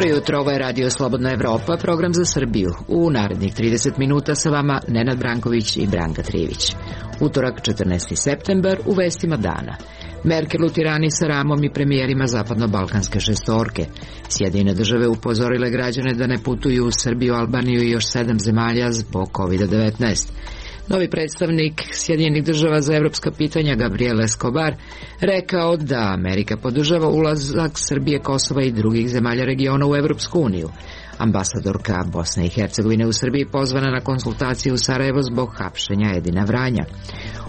Dobro jutro, ovo je Radio Slobodna Evropa, program za Srbiju. U narednih 30 minuta sa vama Nenad Branković i Branka Trivić. Utorak, 14. septembar, u vestima dana. Merkel u Tirani sa Ramom i premijerima zapadno-balkanske šestorke. Sjedinjene države upozorile građane da ne putuju u Srbiju, Albaniju i još 7 zemalja zbog COVID-19. Novi predstavnik Sjedinjenih država za evropska pitanja Gabriel Escobar rekao da Amerika podržava ulazak Srbije, Kosova i drugih zemalja regiona u Evropsku uniju. Ambasadorka Bosne i Hercegovine u Srbiji pozvana na konsultacije u Sarajevo zbog hapšenja Edina Vranja.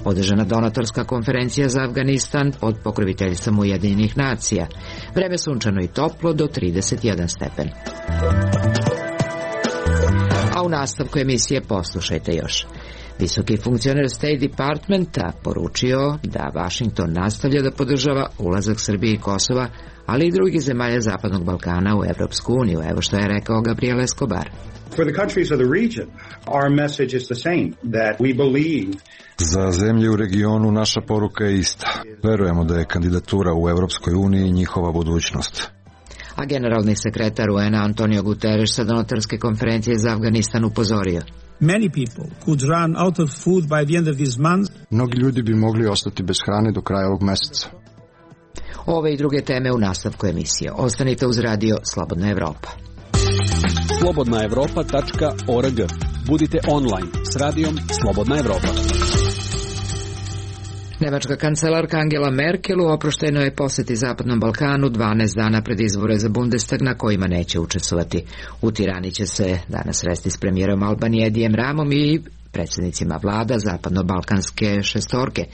Održana donatorska konferencija za Afganistan pod pokroviteljstvom Ujedinjenih nacija. Vreme sunčano i toplo do 31 stepen. A u nastavku emisije poslušajte još. Visoki funkcioner State Departmenta poručio da Washington nastavlja da podržava ulazak Srbije i Kosova, ali i drugih zemalja Zapadnog Balkana u Evropsku uniju. Evo što je rekao Gabriel Escobar. For the countries of the region, our message is the same, that we believe. Za zemlje u regionu naša poruka je ista. Verujemo da je kandidatura u Evropskoj uniji njihova budućnost. A generalni sekretar UN-a Antonio Guterres sa donatorske konferencije za Afganistan upozorio. Many people could run out of food by the end of this month. Mnogi ljudi bi mogli ostati bez hrane do kraja ovog meseca. Ove i druge teme u nastavku emisije. Ostanite uz Radio Slobodna Evropa. slobodnaevropa.org. Budite online s radijom Slobodna Evropa. Nemačka kancelarka Angela Merkel u oproštenoj poseti Zapadnom Balkanu 12 dana pred izbore za Bundestag na kojima neće učestvovati. U Tirani će se danas sresti s premijerom Albanije Edijem Ramom i predsjednicima vlada zapadno-balkanske šestorke.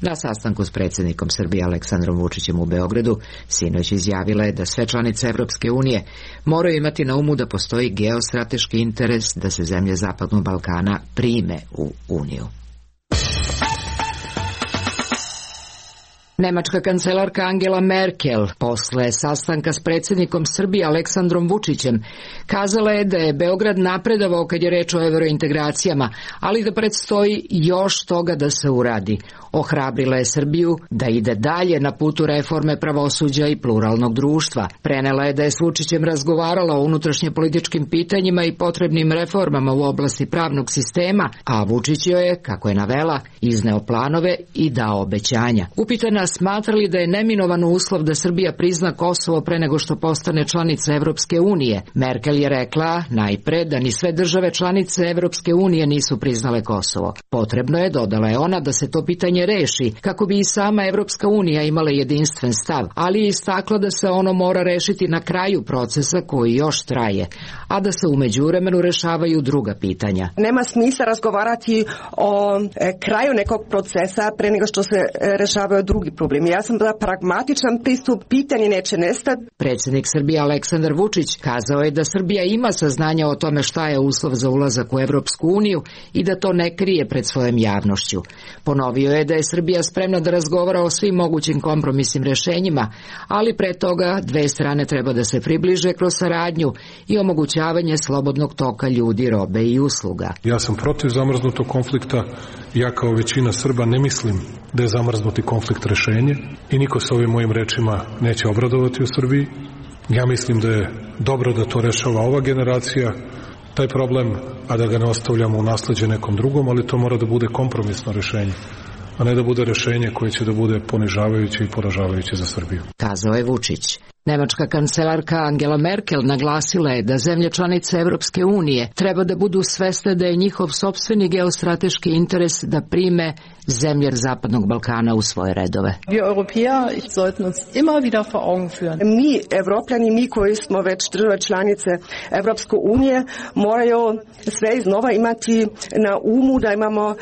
Na sastanku s predsjednikom Srbije Aleksandrom Vučićem u Beogradu sinoć izjavila je da sve članice Evropske unije moraju imati na umu da postoji geostrateški interes da se zemlje Zapadnog Balkana prime u Uniju. Nemačka kancelarka Angela Merkel posle sastanka s predsjednikom Srbije Aleksandrom Vučićem kazala je da je Beograd napredovao kad je reč o evrointegracijama, ali da predstoji još toga da se uradi. Ohrabrila je Srbiju da ide dalje na putu reforme pravosuđa i pluralnog društva. Prenela je da je s Vučićem razgovarala o unutrašnje političkim pitanjima i potrebnim reformama u oblasti pravnog sistema, a Vučić joj je, kako je navela, izneo planove i dao obećanja. Upitana smatra li da je neminovan uslov da Srbija prizna Kosovo pre nego što postane članica Evropske unije. Merkel je rekla najpre da ni sve države članice Evropske unije nisu priznale Kosovo. Potrebno je, dodala je ona, da se to pitanje reši kako bi i sama Evropska unija imala jedinstven stav, ali je istakla da se ono mora rešiti na kraju procesa koji još traje, a da se u međuvremenu rešavaju druga pitanja. Nema smisla razgovarati o kraju nekog procesa pre nego što se rešavaju drugi problemi. Ja sam da pragmatičan pristup, pitanje neće nestati. Predsjednik Srbije Aleksandar Vučić kazao je da Srbija ima saznanja o tome šta je uslov za ulazak u Evropsku uniju i da to ne krije pred svojom javnošću. Ponovio je da je Srbija spremna da razgovara o svim mogućim kompromisnim rešenjima, ali pre toga dve strane treba da se približe kroz saradnju i omogućavanje slobodnog toka ljudi, robe i usluga. Ja sam protiv zamrznutog konflikta. Ja kao većina Srba ne mislim da je zamrznuti konflikt rešenje i niko se ovim mojim rečima neće obradovati u Srbiji. Ja mislim da je dobro da to rešava ova generacija, taj problem, a da ga ne ostavljamo u nasleđe nekom drugom, ali to mora da bude kompromisno rešenje, a ne da bude rešenje koje će da bude ponižavajuće i poražavajuće za Srbiju. Kazao je Vučić. Nemačka kancelarka Angela Merkel naglasila je da zemlje članice Evropske unije treba da budu svesne da je njihov sopstveni geostrateški interes da prime zemlje Zapadnog Balkana u svoje redove. Mi, Evropljani, mi koji smo već države članice Evropske unije, moraju sve iznova imati na umu da imamo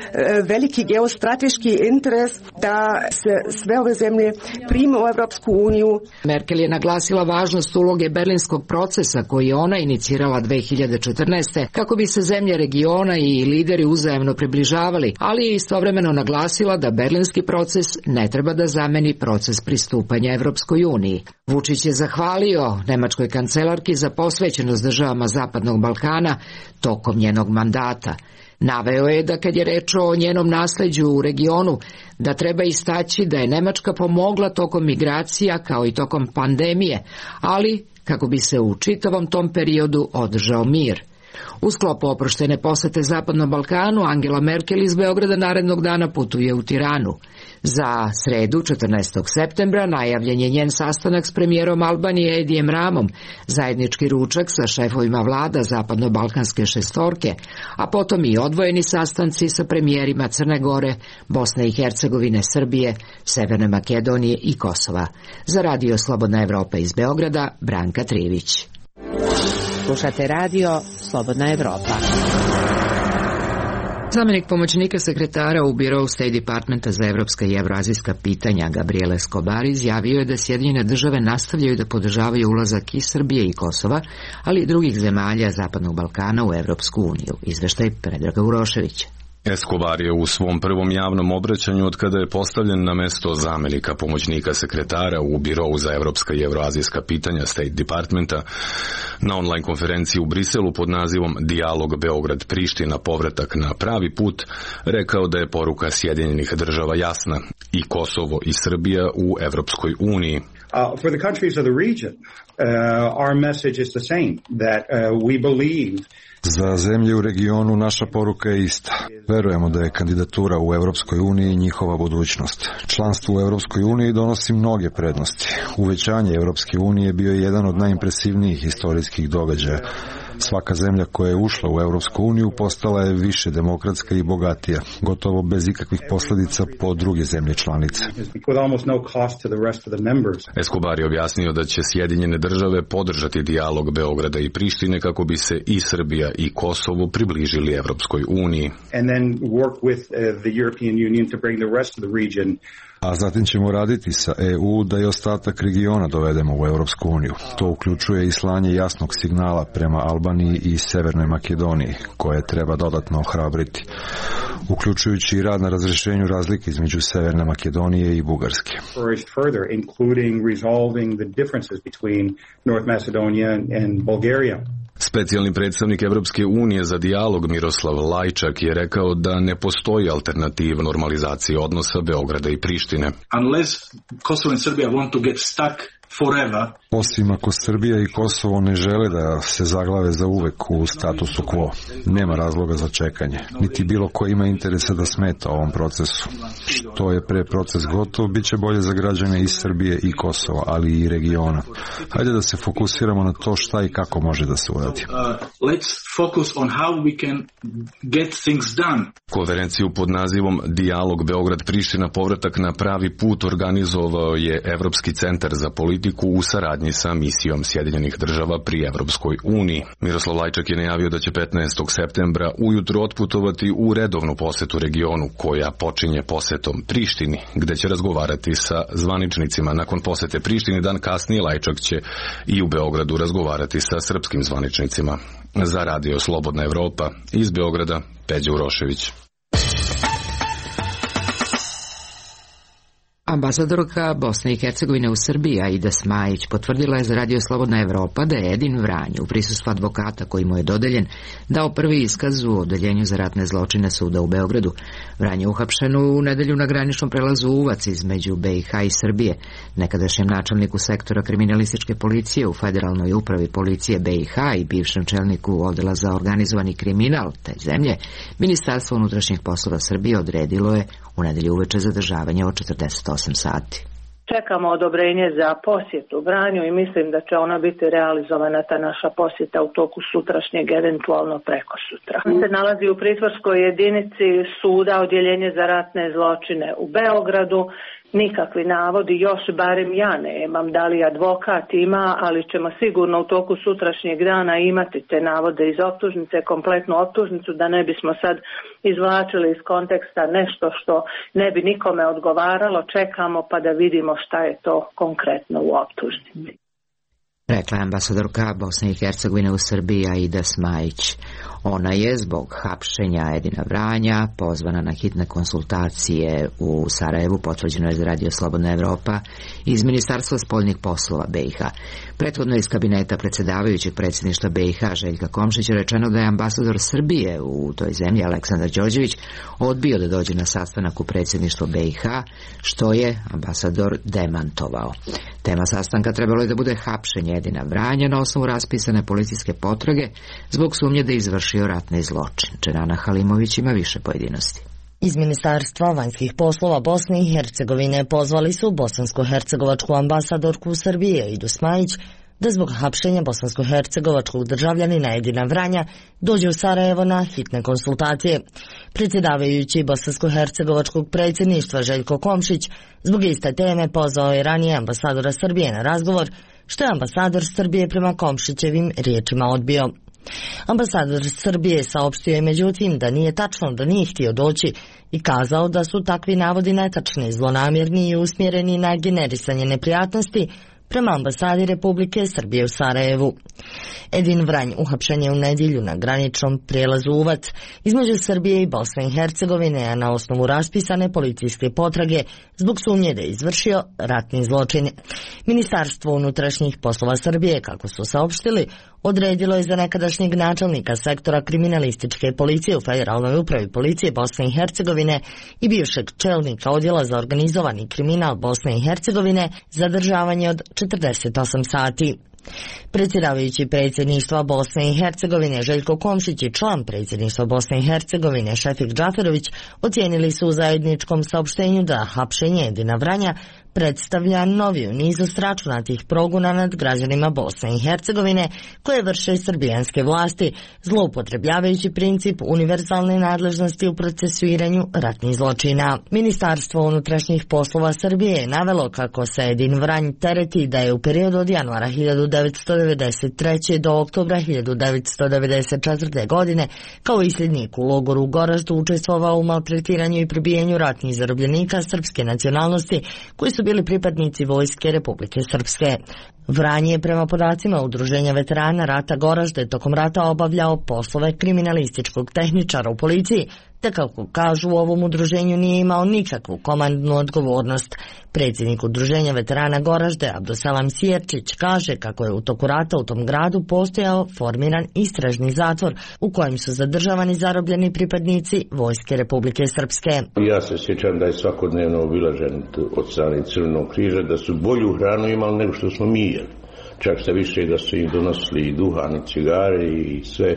veliki geostrateški interes da se sve ove zemlje prime u Evropsku uniju. Merkel je naglasila važnost uloge berlinskog procesa koji je ona inicirala 2014. kako bi se zemlje regiona i lideri uzajamno približavali, ali je istovremeno naglasila da berlinski proces ne treba da zameni proces pristupanja Evropskoj uniji. Vučić je zahvalio nemačkoj kancelarki za posvećenost državama Zapadnog Balkana tokom njenog mandata. Naveo je da kad je reč o njenom nasleđu u regionu, da treba istaći da je Nemačka pomogla tokom migracija kao i tokom pandemije, ali kako bi se u čitavom tom periodu održao mir. U sklopu oproštene posete Zapadnom Balkanu, Angela Merkel iz Beograda narednog dana putuje u Tiranu. Za sredu, 14. septembra, najavljen je njen sastanak s premijerom Albanije Edijem Ramom, zajednički ručak sa šefovima vlada Zapadno-Balkanske šestorke, a potom i odvojeni sastanci sa premijerima Crne Gore, Bosne i Hercegovine, Srbije, Severne Makedonije i Kosova. Za Radio Slobodna Evropa iz Beograda, Branka Trivić. Slušate radio Slobodna Evropa. Zamenik pomoćnika sekretara u Birou State Departmenta za evropska i evroazijska pitanja Gabriel Escobar izjavio je da Sjedinjene države nastavljaju da podržavaju ulazak i Srbije i Kosova, ali i drugih zemalja Zapadnog Balkana u Evropsku uniju. Izveštaj Predraga Uroševića. Escobar je u svom prvom javnom obraćanju od kada je postavljen na mesto zamenika pomoćnika sekretara u Birou za evropska i evroazijska pitanja State Departmenta na online konferenciji u Briselu pod nazivom Dijalog Beograd-Priština povratak na pravi put rekao da je poruka Sjedinjenih država jasna: i Kosovo i Srbija u Evropskoj uniji. For the countries of the region, our message is the same, that we believe. Za zemlje u regionu naša poruka je ista. Verujemo da je kandidatura u Evropskoj uniji njihova budućnost. Članstvo u Evropskoj uniji donosi mnoge prednosti. Uvećanje Evropske unije bio je jedan od najimpresivnijih istorijskih događaja. Svaka zemlja koja je ušla u Evropsku uniju postala je više demokratska i bogatija, gotovo bez ikakvih posljedica po druge zemlje članice. Escobar je objasnio da će Sjedinjene države podržati dijalog Beograda i Prištine kako bi se i Srbija i Kosovo približili Evropskoj uniji. A zatim ćemo raditi sa EU da i ostatak regiona dovedemo u Evropsku uniju. To uključuje i slanje jasnog signala prema Albaniji i Severnoj Makedoniji, koje treba dodatno ohrabriti, uključujući i rad na razrješenju razlike između Severne Makedonije i Bugarske. Specijalni predstavnik Evropske unije za dijalog Miroslav Lajčak je rekao da ne postoji alternativa normalizaciji odnosa Beograda i Prištine. Unless Kosovo and Serbia want to get stuck forever. Osim ako Srbija i Kosovo ne žele da se zaglave za uvek u statusu quo, nema razloga za čekanje, niti bilo ko ima interesa da smeta ovom procesu. Što je pre proces gotov, bit će bolje za građane iz Srbije i Kosova, ali i regiona. Hajde da se fokusiramo na to šta i kako može da se uradi. Let's focus on how we can get things done. Konferenciju pod nazivom Dijalog Beograd-Priština povratak na pravi put organizovao je Evropski centar za politiku u saradnji sa misijom Sjedinjenih država pri Evropskoj uniji. Miroslav Lajčak je najavio da će 15. septembra ujutro otputovati u redovnu posetu regionu, koja počinje posetom Prištini, gde će razgovarati sa zvaničnicima. Nakon posete Prištini dan kasnije Lajčak će i u Beogradu razgovarati sa srpskim zvaničnicima. Za Radio Slobodna Evropa iz Beograda, Peđa Urošević. Ambasadorka Bosne i Hercegovine u Srbiji Aida Smajić potvrdila je za Radio Slobodna Evropa da je Edin Vranje u prisustvu advokata koji mu je dodeljen dao prvi iskaz u Odeljenju za ratne zločine suda u Beogradu. Vranje je uhapšen u nedelju na graničnom prelazu Uvac između BiH i Srbije. Nekadašnjem načelniku sektora kriminalističke policije u Federalnoj upravi policije BiH i bivšem čelniku odjela za organizovani kriminal te zemlje, Ministarstvo unutrašnjih poslova Srbije odredilo je u nedelju uveče zadržavanje od 48 sati. Čekamo odobrenje za posjetu Vranju i mislim da će ona biti realizovana, ta naša posjeta, u toku sutrašnjeg, eventualno preko sutra. On se nalazi u pritvorskoj jedinici suda, odjeljenje za ratne zločine u Beogradu. Nikakvi navodi, još barem ja nemam, da li advokat ima, ali ćemo sigurno u toku sutrašnjeg dana imati te navode iz optužnice, kompletnu optužnicu, da ne bismo sad izvlačili iz konteksta nešto što ne bi nikome odgovaralo. Čekamo pa da vidimo šta je to konkretno u optužnici. Rekla je ambasadorka Bosne i Hercegovine u Srbiji Aida Smajić. Ona je zbog hapšenja Edina Vranja pozvana na hitne konsultacije u Sarajevu, potvrđeno je za Radio Slobodna Evropa iz Ministarstva spoljnih poslova BiH. Prethodno iz kabineta predsjedavajućeg predsjedništva BiH Željka Komšića rečeno da je ambasador Srbije u toj zemlji Aleksandar Đorđević odbio da dođe na sastanak u predsjedništvo BiH, što je ambasador demantovao. Tema sastanka trebalo je da bude hapšenje Edina Vranja na osnovu raspisane policijske potrage zbog sumnje da je izvršio ratni zločin. Dženana Halimović ima više pojedinosti. Iz Ministarstva vanjskih poslova Bosne i Hercegovine pozvali su bosansko-hercegovačku ambasadorku Srbije Idu Smajić da zbog hapšenja bosansko-hercegovačkog državljanina Edina Vranja dođe u Sarajevo na hitne konsultacije. Predsjedavajući bosansko-hercegovačkog predsjedništva Željko Komšić zbog iste teme pozvao je ranije ambasadora Srbije na razgovor, što je ambasador Srbije prema Komšićevim riječima odbio. Ambasador Srbije saopštio je međutim da nije tačno da nije htio doći i kazao da su takvi navodi netačni, zlonamjerni i usmjereni na generisanje neprijatnosti prema ambasadi Republike Srbije u Sarajevu. Edin Vranj uhapšen je u nedjelju na graničnom prijelazu Uvac između Srbije i Bosne i Hercegovine, a na osnovu raspisane policijske potrage zbog sumnje da je izvršio ratni zločin. Ministarstvo unutrašnjih poslova Srbije, kako su saopštili, odredilo je za nekadašnjeg načelnika sektora kriminalističke policije u Federalnoj upravi policije Bosne i Hercegovine i bivšeg čelnika odjela za organizovani kriminal Bosne i Hercegovine zadržavanje od 48 sati. Predsjedavajući predsjedništva Bosne i Hercegovine Željko Komšić i član predsjedništva Bosne i Hercegovine Šefik Džaferović ocijenili su u zajedničkom saopštenju da hapšenje Edina Vranja predstavlja novi u nizu sračunatih progona nad građanima Bosne i Hercegovine koje vrše srbijanske vlasti, zloupotrebljavajući princip univerzalne nadležnosti u procesuiranju ratnih zločina. Ministarstvo unutrašnjih poslova Srbije je navelo kako se Edin Vranj tereti da je u periodu od januara 1993. do oktobra 1994. godine kao isljednik u logoru u Goraždu učestvovao u maltretiranju i prebijanju ratnih zarobljenika srpske nacionalnosti koji su bili pripadnici Vojske Republike Srpske. Vranje je prema podacima Udruženja veterana rata Goražde tokom rata obavljao poslove kriminalističkog tehničara u policiji, te kako kažu u ovom udruženju nije imao nikakvu komandnu odgovornost. Predsjednik Udruženja veterana Goražde Abduselam Sjerčić kaže kako je u toku rata u tom gradu postojao formiran istražni zatvor u kojem su zadržavani zarobljeni pripadnici Vojske Republike Srpske. Ja se sjećam da je svakodnevno obilažen od strane Crvenog križa, da su bolju hranu imali nego što smo mi jeli. Čak se više da su im donosili i duhan i cigare i sve.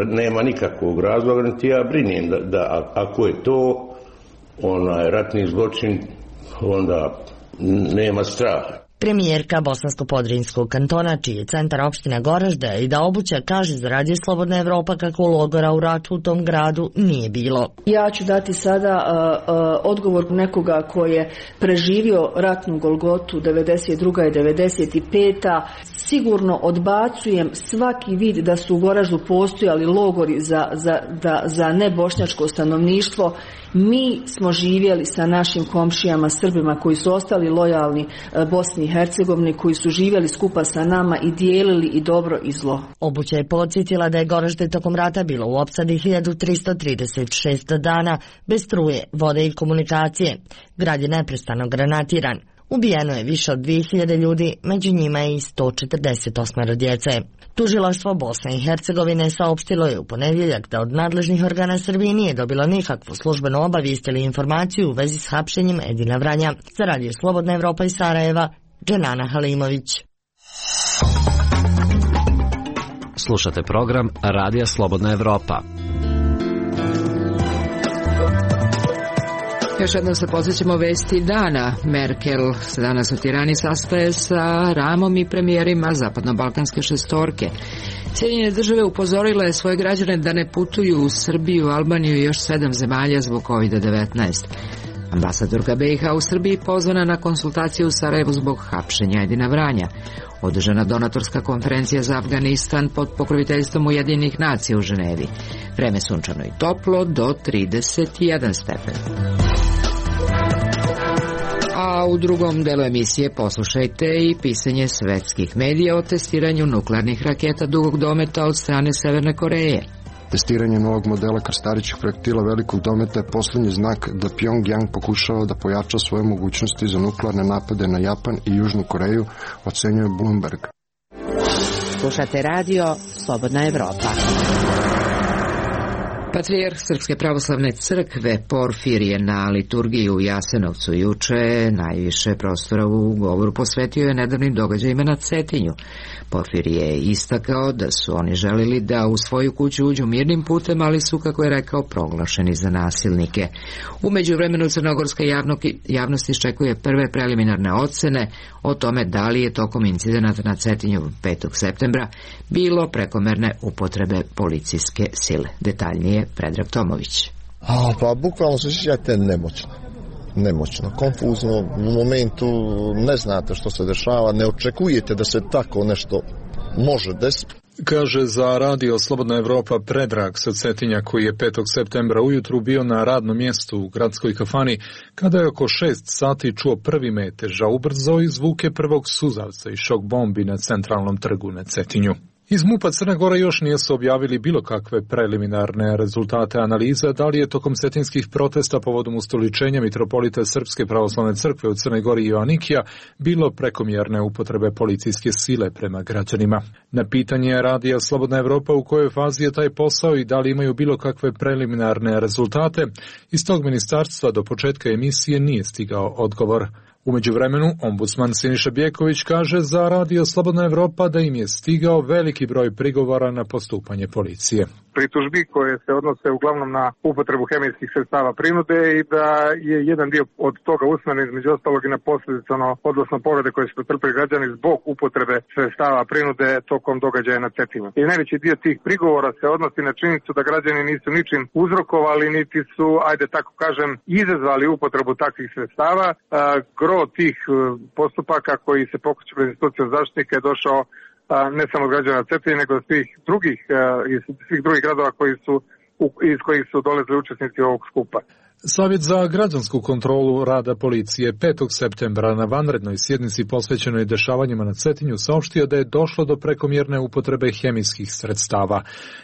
Nema nikakvog razloga, niti ja brinem da ako je to ratni zločin, onda nema straha. Premijerka Bosansko-Podrinjskog kantona, čiji je centar opština Goražde, i da Obuća kaže za Radio Slobodna Evropa kako logora u ratu u tom gradu nije bilo. Ja ću dati sada odgovor nekoga koji je preživio ratnu golgotu 92. i 95. Sigurno odbacujem svaki vid da su u Goraždu postojali logori za nebošnjačko stanovništvo. Mi smo živjeli sa našim komšijama Srbima koji su ostali lojalni Bosni i Hercegovini, koji su živjeli skupa sa nama i dijelili i dobro i zlo. Obuća je podsjetila da je Goražde tokom rata bilo u opsadi 1336 dana bez struje, vode i komunikacije. Grad je neprestano granatiran. Ubijeno je više od 2000 ljudi, među njima je i 148 djece. Tužilaštvo Bosne i Hercegovine saopštilo je u ponedjeljak da od nadležnih organa Srbije nije dobilo nikakvu službenu obavijest ili informaciju u vezi s hapšenjem Edina Vranja. Za Radio Slobodna Evropa iz Sarajeva, Dženana Halimović. Slušate program Radija Slobodna Evropa. Još jednom se posjećamo vesti dana. Merkel se danas u Tirani sastaje sa Ramom i premijerima zapadno-balkanske šestorke. Sjedinjene države upozorile je svoje građane da ne putuju u Srbiju, Albaniju i još 7 zemalja zbog COVID-19. Ambasadorka BiH u Srbiji pozvana na konsultaciju u Sarajevu zbog hapšenja Edina Vranja. Održana donatorska konferencija za Afganistan pod pokroviteljstvom Ujedinjenih nacija u Ženevi. Vreme sunčano i toplo do 31 stepen. A u drugom delu emisije poslušajte i pisanje svetskih medija o testiranju nuklearnih raketa dugog dometa od strane Severne Koreje. Testiranje novog modela krstarićih projektila velikog dometa je poslednji znak da Pjongjang pokušava da pojača svoje mogućnosti za nuklearne napade na Japan i Južnu Koreju, ocenjuje Bloomberg. Slušate radio Slobodna Evropa. Patrijarh Srpske pravoslavne crkve Porfirije na liturgiji u Jasenovcu juče najviše prostora u govoru posvetio je nedavnim događajima na Cetinju. Porfirije je istakao da su oni želili da u svoju kuću uđu mirnim putem, ali su, kako je rekao, proglašeni za nasilnike. U međuvremenu crnogorska javnost iščekuje prve preliminarne ocene o tome da li je tokom incidenata na Cetinju 5. septembra bilo prekomerne upotrebe policijske sile. Detaljnije Predrag Tomović. Pa bukvalno se osjećate nemoćno, konfuzno, u momentu ne znate što se dešava, ne očekujete da se tako nešto može desiti. Kaže za radio Slobodna Evropa Predrag sa Cetinja, koji je 5. septembra ujutru bio na radnom mjestu u gradskoj kafani, kada je oko 6 sati čuo prvi metež, a ubrzo i zvuke prvog suzavca i šok bombi na centralnom trgu na Cetinju. Iz MUP-a Crne Gore još nisu objavili bilo kakve preliminarne rezultate analiza da li je tokom cetinskih protesta povodom ustoličenja mitropolita Srpske pravoslavne crkve u Crnoj Gori Joanikija bilo prekomjerne upotrebe policijske sile prema građanima. Na pitanje radija Slobodna Evropa u kojoj fazi je taj posao i da li imaju bilo kakve preliminarne rezultate, iz tog ministarstva do početka emisije nije stigao odgovor. U međuvremenu, ombudsman Siniša Bjeković kaže za radio Slobodna Evropa da im je stigao veliki broj prigovora na postupanje policije. Pritužbi koje se odnose uglavnom na upotrebu hemijskih sredstava prinude i da je jedan dio od toga usmeren između ostalog i na posljedice, odnosno povrede koje su pretrpeli građani zbog upotrebe sredstava prinude tokom događaja na Cetinju. I najveći dio tih prigovora se odnosi na činjenicu da građani nisu ničim uzrokovali, niti su, ajde tako kažem, izazvali upotrebu takvih sredstava. Gro tih postupaka koji se pokreću pred institucijom zaštitnika je došao ne samo od građana Cetinja, nego iz svih drugih gradova iz kojih su dolazili učesnici ovog skupa. Savjet za građansku kontrolu rada policije 5. septembra na vanrednoj sjednici posvećenoj dešavanjima na Cetinju saopštio da je došlo do prekomjerne upotrebe hemijskih sredstava.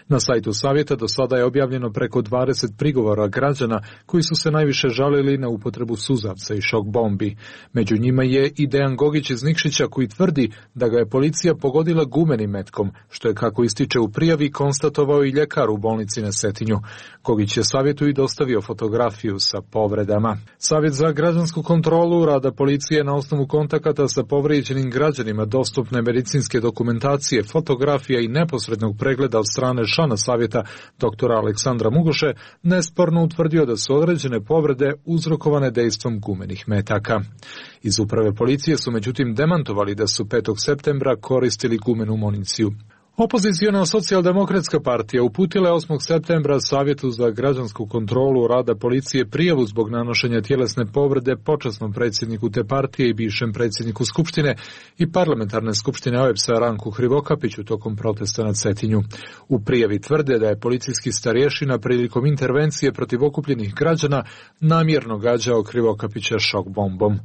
Na sajtu Savjeta do sada je objavljeno preko 20 prigovora građana koji su se najviše žalili na upotrebu suzavca i šok bombi. Među njima je i Dejan Gogić iz Nikšića koji tvrdi da ga je policija pogodila gumenim metkom, što je, kako ističe u prijavi, konstatovao i ljekar u bolnici na Cetinju. Gogić je Savjetu i dostavio fotografiju sa povredama. Savjet za građansku kontrolu rada policije na osnovu kontakata sa povrijeđenim građanima, dostupne medicinske dokumentacije, fotografija i neposrednog pregleda od strane člana Savjeta dr. Aleksandra Mugoše nesporno utvrdio da su određene povrede uzrokovane dejstvom gumenih metaka. Iz uprave policije su međutim demantovali da su 5. septembra koristili gumenu municiju. Opoziciona socijaldemokratska partija uputila je 8. septembra Savjetu za građansku kontrolu rada policije prijavu zbog nanošenja tjelesne povrede počasnom predsjedniku te partije i bivšem predsjedniku Skupštine i parlamentarne skupštine OEBS-a Ranku Hrivokapiću tokom protesta na Cetinju. U prijavi tvrde da je policijski starješina prilikom intervencije protiv okupljenih građana namjerno gađao Hrivokapića šok bombom.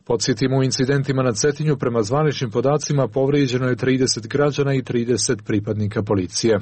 Podsjetimo, u incidentima na Cetinju prema zvaničnim podacima povrijeđeno je 30 građana i 30 pripadnika policije.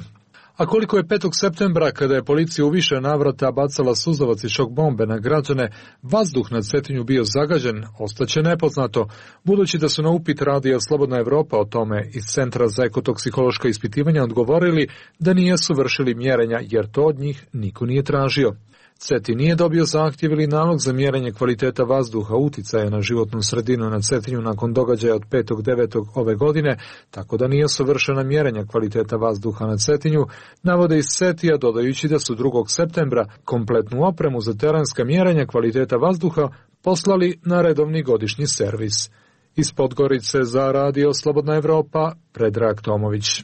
A koliko je 5. septembra, kada je policija u više navrata bacala suzavac i šok bombe na građane, vazduh na Cetinju bio zagađen, ostaće nepoznato, budući da su na upit radija Slobodna Evropa o tome iz Centra za ekotoksikološka ispitivanja odgovorili da nisu vršili mjerenja jer to od njih niko nije tražio. Cetin nije dobio zahtjev ili nalog za mjerenje kvaliteta vazduha uticaja na životnu sredinu na Cetinju nakon događaja od 5.9. ove godine, tako da nije savršena mjerenja kvaliteta vazduha na Cetinju, navode iz CETI-a dodajući da su 2. septembra kompletnu opremu za terenska mjerenja kvaliteta vazduha poslali na redovni godišnji servis. Iz Podgorice za radio Slobodna Evropa, Predrag Tomović.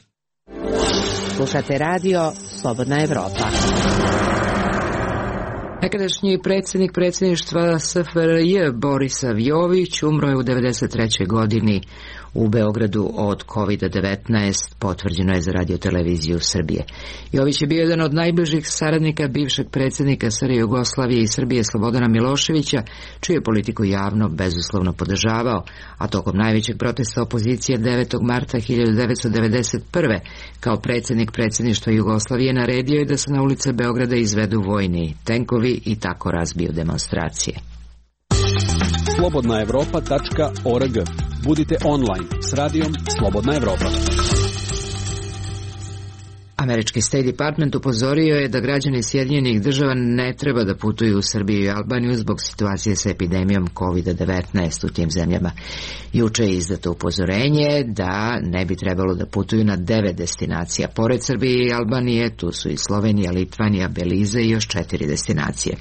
Slušate radio Slobodna Evropa. Nekadašnji predsjedništva SFRJ Borisav Jović umro je u 93. godini u Beogradu od COVID-19, potvrđeno je za Radio-televiziju Srbije. Jović je bio jedan od najbližih saradnika bivšeg predsjednika SR Jugoslavije i Srbije Slobodana Miloševića, čiju je politiku javno bezuslovno podržavao, a tokom najvećeg protesta opozicije 9. marta 1991. kao predsjednik predsjedništva Jugoslavije naredio je da se na ulice Beograda izvedu vojni tenkovi i tako razbiju demonstracije. slobodnaevropa.org. Budite online s radijom Slobodna Evropa. Američki State Department upozorio je da građani Sjedinjenih Država ne treba da putuju u Srbiju i Albaniju zbog situacije sa epidemijom COVID-19 u tim zemljama. Juče je izdato upozorenje da ne bi trebalo da putuju na 9 destinacija. Pored Srbije i Albanije, tu su i Slovenija, Litvanija, Belize i još 4 destinacije.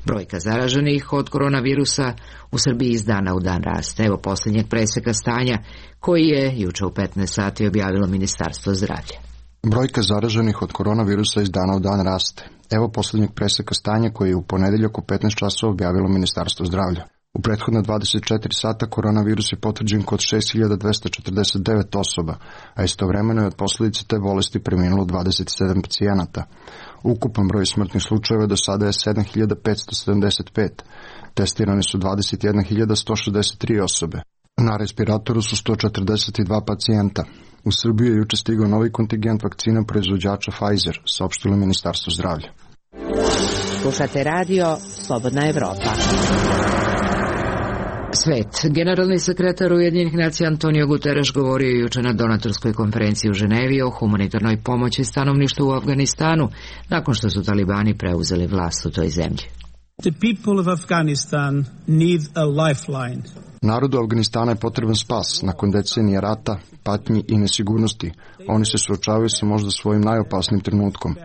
Brojka zaraženih od koronavirusa u Srbiji iz dana u dan raste. Evo posljednjeg preseka stanja koji je juče u 15 sati objavilo Ministarstvo zdravlja. Brojka zaraženih od koronavirusa iz dana u dan raste. Evo posljednjeg preseka stanja koji je u ponedeljak u 15 časova objavilo Ministarstvo zdravlja. U prethodne 24 sata koronavirus je potvrđen kod 6249 osoba, a istovremeno je od posljedice te bolesti preminulo 27 pacijenata. Ukupan broj smrtnih slučajeva do sada je 7575. Testirane su 21.163 osobe. Na respiratoru su 142 pacijenta. U Srbiju je juče stigao novi kontingent vakcina proizvođača Pfizer, saopštilo Ministarstvo zdravlja. Slušate radio Slobodna Evropa. Svet. Generalni sekretar Ujedinjenih nacija Antonio Guterres govorio juče na donatorskoj konferenciji u Ženevi o humanitarnoj pomoći stanovništvu u Afganistanu, nakon što su talibani preuzeli vlast u toj zemlji. The people of Afghanistan need a lifeline. Narodu Afganistana je potreban spas nakon decenije rata, patnji i nesigurnosti. Oni se suočavaju sa možda svojim najopasnim trenutkom.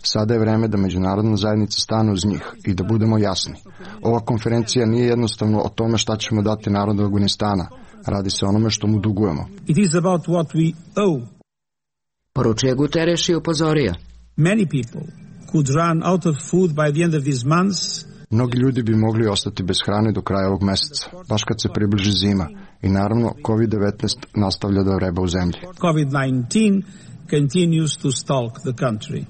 Sada je vreme da međunarodna zajednica stane uz njih i da budemo jasni. Ova konferencija nije jednostavno o tome šta ćemo dati narodu Afganistana. Radi se o onome što mu dugujemo. It is about what we owe. Poručuje Guterres i upozorio. Many people could run out of food by the end of this month. Mnogi ljudi bi mogli ostati bez hrane do kraja ovog meseca, baš kad se približi zima. I naravno, COVID-19 nastavlja da vreba u zemlji. COVID-19 continues to stalk the country.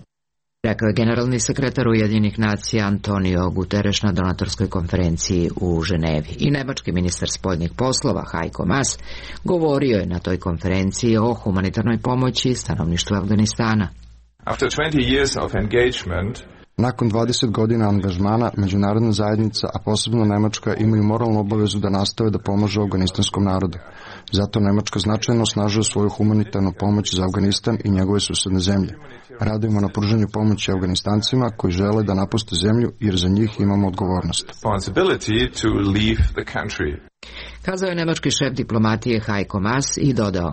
Rekao je generalni sekretar Ujedinjenih nacija Antonio Guterres na donatorskoj konferenciji u Ženevi. I nemački ministar spoljnih poslova Heiko Maas govorio je na toj konferenciji o humanitarnoj pomoći stanovništvu Afganistana. After 20 years of engagement, nakon 20 godina angažmana, međunarodna zajednica, a posebno Nemačka, imaju moralnu obavezu da nastave da pomažu afganistanskom narodu. Zato Nemačka značajno osnažuje svoju humanitarnu pomoć za Afganistan i njegove susedne zemlje. Radimo na pružanju pomoći Afganistancima koji žele da napuste zemlju jer za njih imamo odgovornost. Kazao je nemački šef diplomatije Heiko Maas i dodao.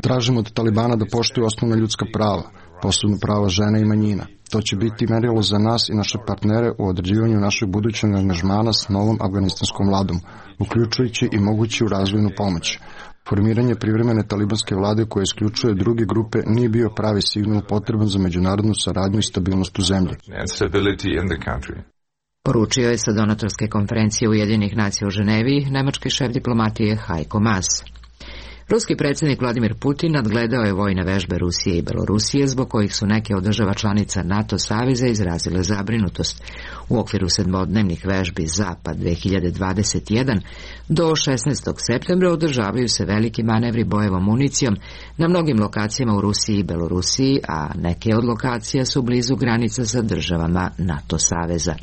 Tražimo od Talibana da poštuju osnovna ljudska prava, posebno prava žena i manjina. To će biti merilo za nas i naše partnere u određivanju našeg budućeg angažmana s novom afganistanskom vladom, uključujući i moguću razvojnu pomoć. Formiranje privremene talibanske vlade koja isključuje druge grupe nije bio pravi signal potreban za međunarodnu saradnju i stabilnost u zemlji. Poručio je sa donatorske konferencije Ujedinjenih nacija u Ženevi nemački šef diplomatije Heiko Maas. Ruski predsjednik Vladimir Putin nadgledao je vojne vežbe Rusije i Belorusije, zbog kojih su neke od država članica NATO saveza izrazile zabrinutost. U okviru 7-dnevnih vežbi Zapad 2021 do 16. septembra održavaju se veliki manevri bojevom municijom na mnogim lokacijama u Rusiji i Belorusiji, a neke od lokacija su blizu granica sa državama NATO saveza.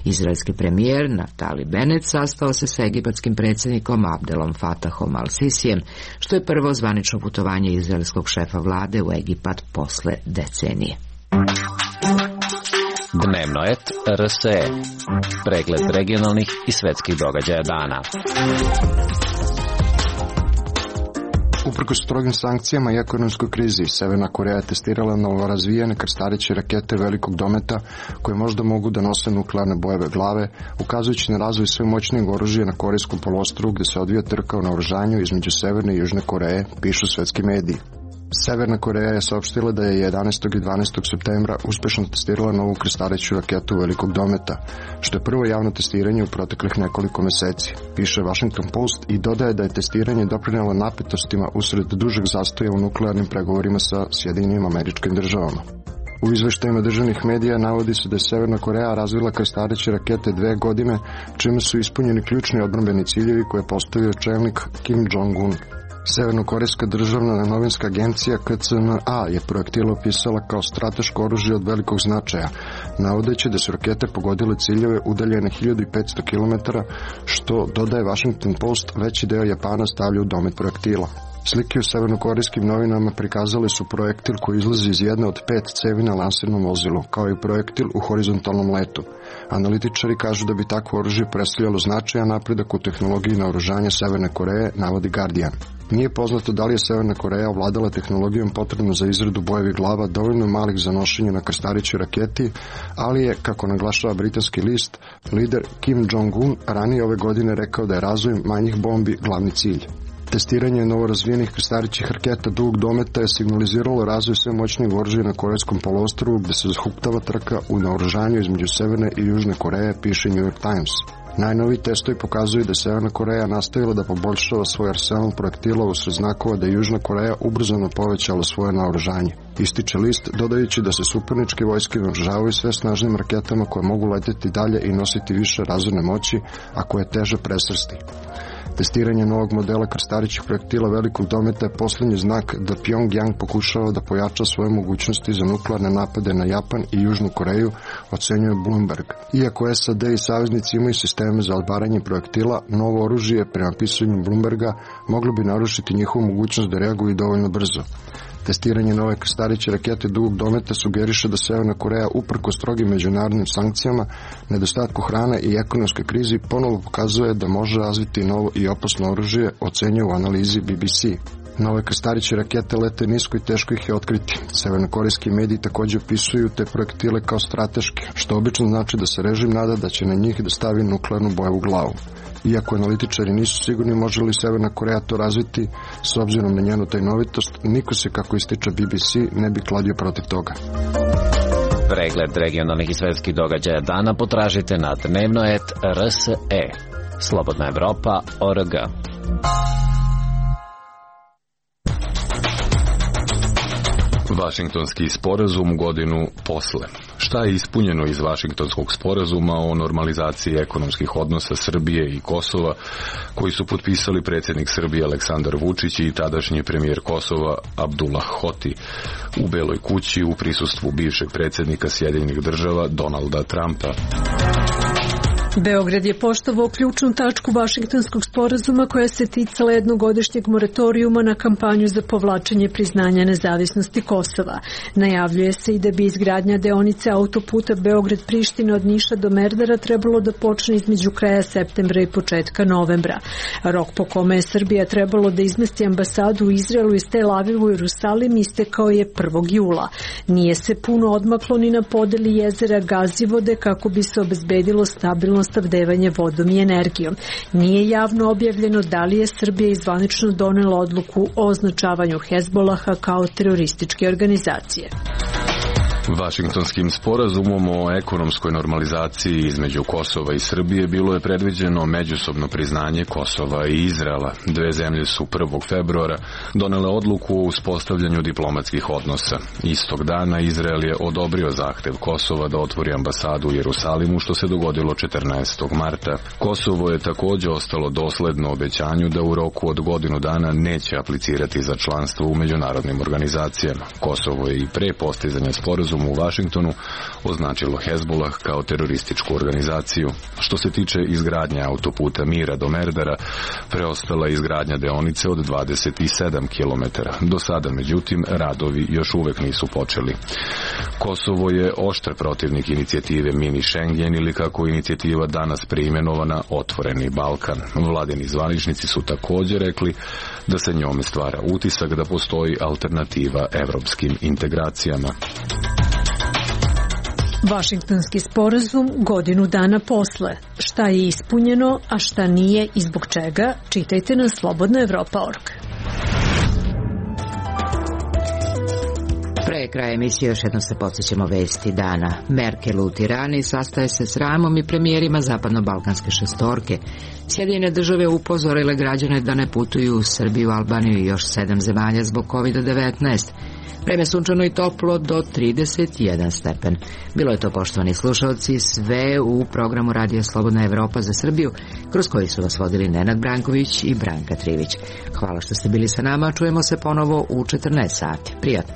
Izraelski premijer Naftali Bennett sastao se sa egipatskim predsjednikom Abdelom Fatahom al-Sisijem, što je prvo zvanično putovanje izraelskog šefa vlade u Egipat posle decenije. Dnevno et RSE. Pregled regionalnih i svetskih događaja dana. Uprkos strogim sankcijama i ekonomskoj krizi, Severna Koreja je testirala novorazvijene krstareće rakete velikog dometa koje možda mogu da nose nuklearne bojeve glave, ukazujući na razvoj sve moćnijeg oružja na Korejskom poluostrvu gde se odvija trka o naoružanju između Severne i Južne Koreje, pišu svetski mediji. Severna Koreja je saopštila da je 11. i 12. septembra uspešno testirala novu krstareću raketu velikog dometa, što je prvo javno testiranje u proteklih nekoliko meseci, piše Washington Post i dodaje da je testiranje doprinelo napetostima usred dužeg zastoja u nuklearnim pregovorima sa Sjedinjenim Američkim Državama. U izveštajima državnih medija navodi se da je Severna Koreja razvila krstareće rakete 2 godine, čime su ispunjeni ključni odbrambeni ciljevi koje je postavio čelnik Kim Jong-un. Severnokorejska državna novinska agencija KCNA je projektil opisala kao strateško oružje od velikog značaja, navodeći da su rakete pogodile ciljeve udaljene 1500 km, što, dodaje Washington Post, veći deo Japana stavlja u domet projektila. Slike u severnokorejskim novinama prikazale su projektil koji izlazi iz jedne od 5 cevi na lansirnom vozilu, kao i projektil u horizontalnom letu. Analitičari kažu da bi takvo oružje predstavljalo značajan napredak u tehnologiji naoružanja Severne Koreje, navodi Guardian. Nije poznato da li je Severna Koreja ovladala tehnologijom potrebno za izradu bojevih glava dovoljno malih za nošenje na krstarićoj raketi, ali je, kako naglašava britanski list, lider Kim Jong-un ranije ove godine rekao da je razvoj manjih bombi glavni cilj. Testiranje novorazvijenih krstarićih raketa dugog dometa je signaliziralo razvoj sve moćnijeg oružja na Korejskom poluostrvu, gde se zahuktava trka u naoružanju između Severne i Južne Koreje, piše New York Times. Najnoviji testovi pokazuju da je Severna Koreja nastavila da poboljšava svoj arsenal projektila usred znakova da je Južna Koreja ubrzano povećala svoje naoružanje. Ističe list, dodajući da se suparničke vojske naoružavaju sve snažnim raketama koje mogu leteti dalje i nositi više razorne moći, a koje je teže presrsti. Testiranje novog modela krstarićih projektila velikog dometa je poslednji znak da Pyongyang pokušava da pojača svoje mogućnosti za nuklearne napade na Japan i Južnu Koreju, ocenjuje Bloomberg. Iako SAD i saveznici imaju sisteme za odbaranje projektila, novo oružje, prema pisanju Bloomberga, moglo bi narušiti njihovu mogućnost da reaguju dovoljno brzo. Testiranje nove krstariće rakete dugog dometa sugeriše da Severna Koreja, uprkos strogim međunarodnim sankcijama, nedostatku hrane i ekonomskoj krizi, ponovo pokazuje da može razviti novo i opasno oružje, ocenjuje u analizi BBC. Nove krstariće rakete lete nisko i teško ih je otkriti. Severnokorejski mediji također opisuju te projektile kao strateške, što obično znači da se režim nada da će na njih da stavi nuklearnu bojevu glavu. Iako analitičari nisu sigurni može li Severna Koreja to razviti, s obzirom na njenu tajnovitost, niko se, kako ističe BBC, ne bi kladio protiv toga. Pregled regionalnih i svetskih događaja dana potražite na dnevno.rs.e. Slobodna Evropa.org. Vašingtonski sporazum godinu posle. Šta je ispunjeno iz Vašingtonskog sporazuma o normalizaciji ekonomskih odnosa Srbije i Kosova, koji su potpisali predsjednik Srbije Aleksandar Vučić i tadašnji premijer Kosova Abdullah Hoti u Beloj kući u prisustvu bivšeg predsjednika Sjedinjenih Država Donalda Trumpa? Beograd je poštovao ključnu tačku Vašingtonskog sporazuma koja se ticala jednogodišnjeg moratorijuma na kampanju za povlačenje priznanja nezavisnosti Kosova. Najavljuje se i da bi izgradnja deonice autoputa Beograd-Priština od Niša do Merdara trebalo da počne između kraja septembra i početka novembra. Rok po kome je Srbija trebalo da izmesti ambasadu u Izraelu iz Tel Aviva u Jerusalim istekao je 1. jula. Nije se puno odmaklo ni na podeli jezera Gazivode kako bi se obezbedilo stabilno snabdevanje vodom i energijom. Nije javno objavljeno da li je Srbija zvanično donela odluku o označavanju Hezbolaha kao terorističke organizacije. Vašingtonskim sporazumom o ekonomskoj normalizaciji između Kosova i Srbije bilo je predviđeno međusobno priznanje Kosova i Izraela. Dve zemlje su 1. februara donele odluku o uspostavljanju diplomatskih odnosa. Istog dana Izrael je odobrio zahtev Kosova da otvori ambasadu u Jerusalimu, što se dogodilo 14. marta. Kosovo je također ostalo dosledno obećanju da u roku od godinu dana neće aplicirati za članstvo u međunarodnim organizacijama. Kosovo je i pre postizanja sporazuma u Vašingtonu označilo Hezbolah kao terorističku organizaciju. Što se tiče izgradnje autoputa Mira do Merdara, preostala je izgradnja deonice od 27 km. Do sada, međutim, radovi još uvek nisu počeli. Kosovo je oštar protivnik inicijative Mini Schengen ili, kako je inicijativa danas preimenovana, Otvoreni Balkan. Vladini zvaničnici su također rekli da se njome stvara utisak da postoji alternativa evropskim integracijama. Vašingtonski sporazum godinu dana posle. Šta je ispunjeno, a šta nije i zbog čega, čitajte na slobodnaevropa.org. Pre kraja emisije još jednom se podsjećamo vesti dana. Merkel u Tirani sastaje se s Ramom i premijerima zapadno-balkanske šestorke. Sjedinjene države upozorile građane da ne putuju u Srbiju, Albaniju i još 7 zemalja zbog COVID-19. Vreme sunčano i toplo do 31 stepen. Bilo je to, poštovani slušalci, sve u programu Radija Slobodna Evropa za Srbiju, kroz koji su vas vodili Nenad Branković i Branka Trivić. Hvala što ste bili sa nama, čujemo se ponovo u 14 sati. Prijatno.